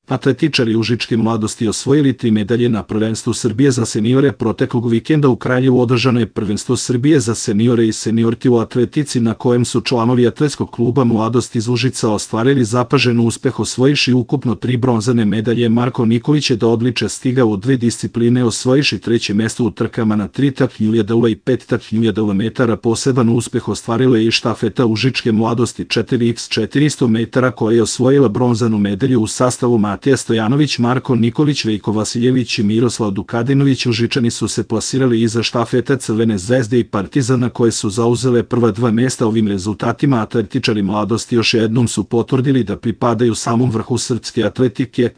Atletičari Užičke mladosti osvojili 3 medalje na prvenstvu Srbije za seniore. Proteklog vikenda u Kraljevu održano je prvenstvo Srbije za seniore i seniorke u atletici, na kojem su članovi atletskog kluba Mladost iz Užica ostvarili zapažen uspeh osvojiši ukupno 3 bronzane medalje. Marko Nikolić je do odličja stigao u 2 discipline, osvojiši 3. mesto u trkama na 3.000 i 5.000 metara. Poseban uspeh ostvarila je i štafeta Užičke mladosti 4x400 metara, koja je osvojila bronzanu medalju u sastavu Matija Stojanović, Marko Nikolić, Veljko Vasiljević i Miroslav Dukadinović. Užičani su se plasirali iza štafeta Crvene zvezde i Partizana, koje su zauzele prva 2 mesta. Ovim rezultatima atletičari Mladosti još jednom su potvrdili da pripadaju samom vrhu srpske atletike.